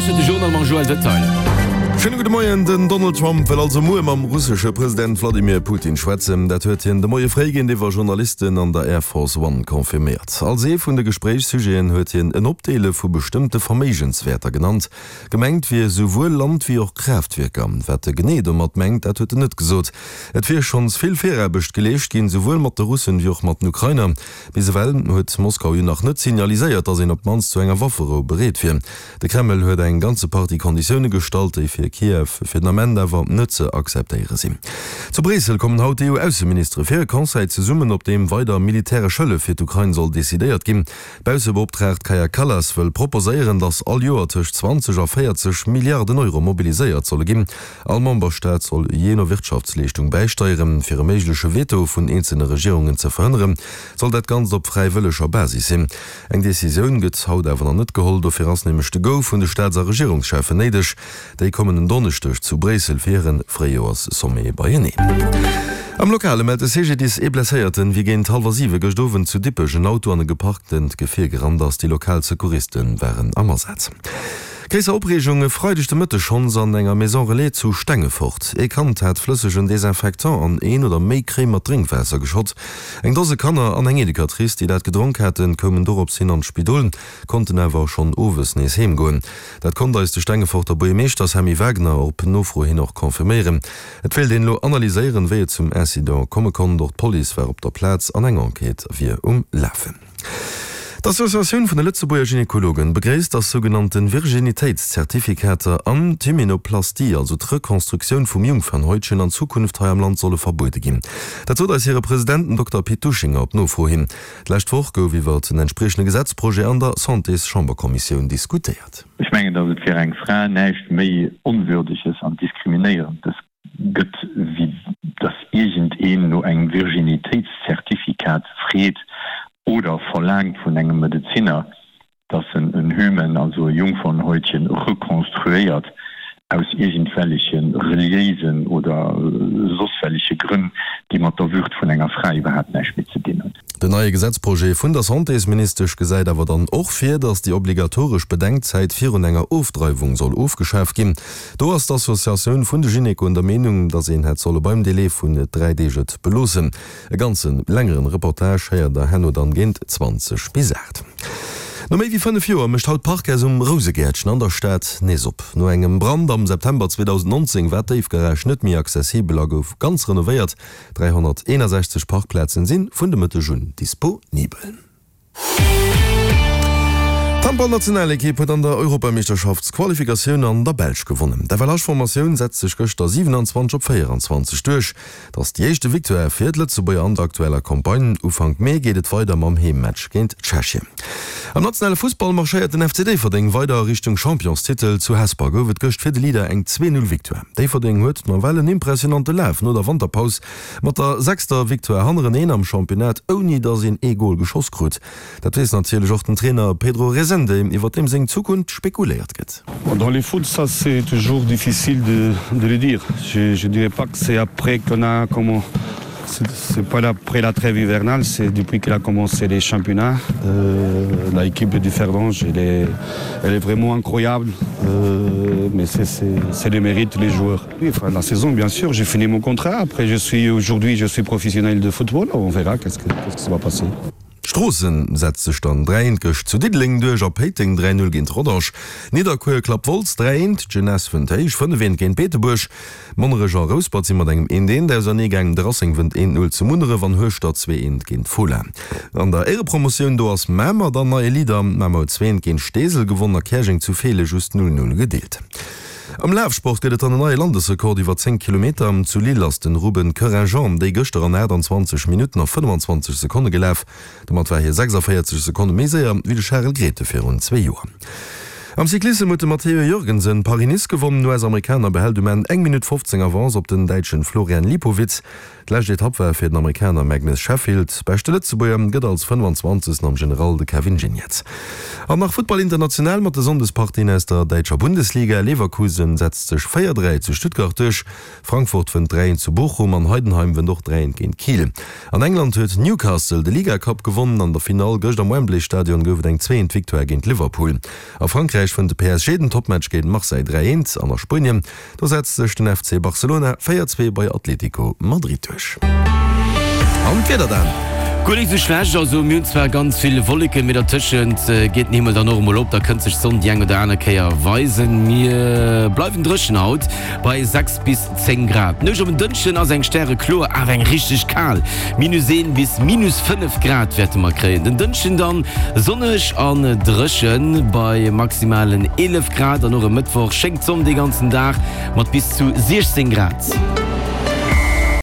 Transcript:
lauschtert de Journal mam Joël Detail. Schéine gudde Moien. Den Donald Trump wëll also muer mam russesche President Wladimir Putin schwätzen. Dat huet hien de Moie fréi géintiwwer Journalisten an der Air Force One confirméiert. Als ee vun de Gespréichssujeten huet hien en Opdeele vu bestëmmte Verméigenswäerter genannt. Gemengt wier souwuel Land wéi och Kraaftwierker. Wat e genee domat mengt, dat huet en net gesot. Et wier schonns vill Viraarbecht geleescht ginn, souwuel mat de Russen wéi och mat den Ukrainer. Bis ewell huet Moskau jo nach net signaliséiert, datt een op d'mannst zu enger Wafferou bereet wier. De Kreml huet eng ganze Partie Konditioune gestallt, déi fir Kiew fir den Ament awer net ze akzeptéiere sinn. Zu Bréissel kommen haut d'EU-Ausseministere fir e Conseil zesummen, op deem weider militäresch Hëllef fir d'Ukrain soll decidéiert ginn. D'Baussebeoptraagt Kaja Kallas wëll proposéieren, datt all Joer tëscht 20 a 40 Milliarden Euro mobiliséiert solle ginn. All Memberstaat soll jee no Wirtschaftsleeschtung bäisteieren. Fir e méigleche Veto vun eenzelne Regierungen ze verhënneren, soll dat Ganzt op fräiwëlleger Basis sinn. Eng Decisioun gëtt haut awer nach net geholl. Dofir ass nämlech de Go vun de Staats a Regierungscheffen néideg. Déi kommen en Donneschdeg zu Bréissel fir hire Fréijoerssommet beieneen. Am Lokale mellt de CGDIS ee Blesséierten, wéi géint hallwer siwe gëscht Owend zu Dippech en Auto an e geparktent Gefier gerannt ass. Déi lokal Secouriste waren am Asaz. Gréisser Opreegung e Freideg de Mëtteg schonns an enger Maison Relais zu Stengefort. Ee Kand hat flëssegen Desinfectant an een oder méi Kréi mat Drénkwaasser geschott. Eng Dose Kanner an eng Educatrice, déi dat gedronk haten, koumen dorops hin an d'Spidol, konnten awer schonn owes nees heem goen. Dat konnt eis de Stengeforter Buergermeeschter Sammy Wagner op Nofro hin och confirméieren. Et wéilt een elo analyséieren, wéi et zum Incident komme konnt. Och d'Police war op der Plaz an eng Enquête wier um Lafen. D'Associatioun vun de Lëtzebuerger Gynekologen begréisst, dass sougenannte Virginitéitszertifikater an d'Hymenoplastie, also d'Rekonstruktioun vum Jungfernhäutchen, an Zukunft hei am Land solle verbuede ginn. Dat sot eis hire President, den Dokter Pit Duschinger, op Nofro hin. D'lescht Woch gouf iwwer en entspriechende Gesetzprojet an der Santés-Chamberkommissioun diskutéiert. Ech mengen, datt et fir eng Fra näischt méi Onwürdeges an Diskriminéierendes gëtt, wéi datt iergendeen no engem Virginitéitszertifikat freet oder verlaangt vun engem Medezinner, datt en en Hymen, also e Jungfernhäutchen, rekonstruéiert aus iergendwelleche reliéisen oder soss welleche Grënn, déi mat der Würd vun enger Fra iwwerhaapt näischt méi ze dinn hunn. Den neie Gesetzprojet vun der Santésministesch gesäit awer dann och vir, datt déi obligatoresch Bedenkzäit virun enger Ofdreiwung soll ofgeschaf ginn. Do ass d'Associatioun vun de Gynekoen der Meenung, datt een hätt solle beim Delai vun 3 Deeg et beloossen. E ganze längeren Reportage héiert der herno dann géint 20 bis 8. No méi wéi 5 Joer mécht haut d'Parkhaus um Rousegäertchen an der Stad nees op. No engem Brand am September 2019 war d'Déifgarage net méi accessibel a gouf ganz renovéiert. 361 Parkplazen si vun de Mëtteg un disponibel. D'Handballnationalekipp huet an der Europameeschterschaftsqualifikatioun an der Belsch gewonnen. D'FLH-Formatioun setzt sech gëschter 27 op 24 duerch. Et ass déi éischte Victoire fir d'Lëtzebuerger an der aktueller Campagne. Ufank Mee geet et weider mam Heemmatch géint Tschechien. Am nationale Fussball marschéiert den FC Déifferdeng weider a Richtung Championstitel. Zu Hesper gouf et gëscht fir de Leader eng 2, 0 Victoire. Déifferdeng huet nawell en impressionante Laf no der Wanterpaus mat der sechster Victoire hannereneen am Championnat, ouni datt een ee Gol geschoss krut. Dat weess natierlech och den Trainer Pedro Rezende, iwwer deem seng Zukunft spekuléiert gëtt. Dans le foot ça c'est toujours difficile de de le dire. Je je dirais pas que c'est après qu'on a comment c'est pas après la trêve hivernale, c'est depuis qu'il a commencé les championnats. Euh, l'équipe de Differdange, elle est, elle est vraiment incroyable, euh, mais c'est le mérite les joueurs. Oui, enfin, la saison, bien sûr, j'ai fini mon contrat. Après, je suis aujourd'hui, je suis professionnel de football. On verra qu'est-ce que, qu'est-ce que ça va passer. Stroossen setzt sech dann 3 eent gëscht zu Diddeleng duerch a Péiteng 3 0 géint Rodange. Nidderkuer klappt Wolz 3 eent, d'Jeunesse wënnt héich 5 eent géint Beetebuerg. Monnerech a Rouspert si mat engem eent eent ausernee gaangen, de Racing wënnt eent 0 zu Munneref an Hueschtert 2 eent géint Fola. An der Éierepromotioun do ass Mamer dann neie Leader. Mamer huet 2 eent géint Steesel gewonnen a Käerjeng zu Feele just 0 0 gedeelt. Am Lafsport gëtt et dann en neie Landesrekord iwwer 10 Kilometer. Zu Lille ass den Ruben Corinjean déi gëschter an 28 Minutten a 25 Sekonne gelaf. Domat war hie 46 Sekonne méi séier wéi de Charel Grethe virun zwee Joer. Am Cyclissem huet de Matteo Jørgensen Paris-Nice gewonnen. Den US-Amerikaner behält um Enn eng Minutt 15 Avance op den Däitschen Florian Lipowitz. D'lescht Etapp war fir den Amerikaner Magnus Sheffield. Beschte Lëtzebuerger gëtt als 25. am General de Kevin Geniets. An nach Futtball international mat de Sonndespartien aus der däitscher Bundesliga. Leverkusen setzt sech 4, 3 zu Stuttgart duerch, Frankfurt wënnt 3, 1 zu Bochum an Heidenheim wënnt och 3, 1 géint Kiel. An England huet Newcastle de Ligacup gewonnen. An der Finall gëscht am Wembley Stadion gouf et eng 2, 1 Victoire géint Liverpool. A Frankräich. Frankräich wënnt de PSG den Toppmatch géint Marseille 3, 1 an a Spuenien do setzt sech den FC Barcelona 4, 2 bei Atlético Madrid duerch. An d'Wieder dann? Guer nik sou schlecht, also mir hunn zwar ganz vill Wolleken, mee dertëschent geet den Himmel dann och emol op, da kënnt sech d'Sonn déi eng oder aner Kéier weisen. Mir bleiwen dréchen haut bei 6 bis 10 Grad. D'Nuecht op en Dënschden ass eng stärekloer, awer eng richteg kal. Minus 1 bis minus 5 Grad wäerte mer kréien. Den Dënschden dann sonneg an dréchen bei maximalen 11 Grad an och e Mëttwoch schéngt d'Sonn dee ganzen Dag mat bis zu 16 Grad.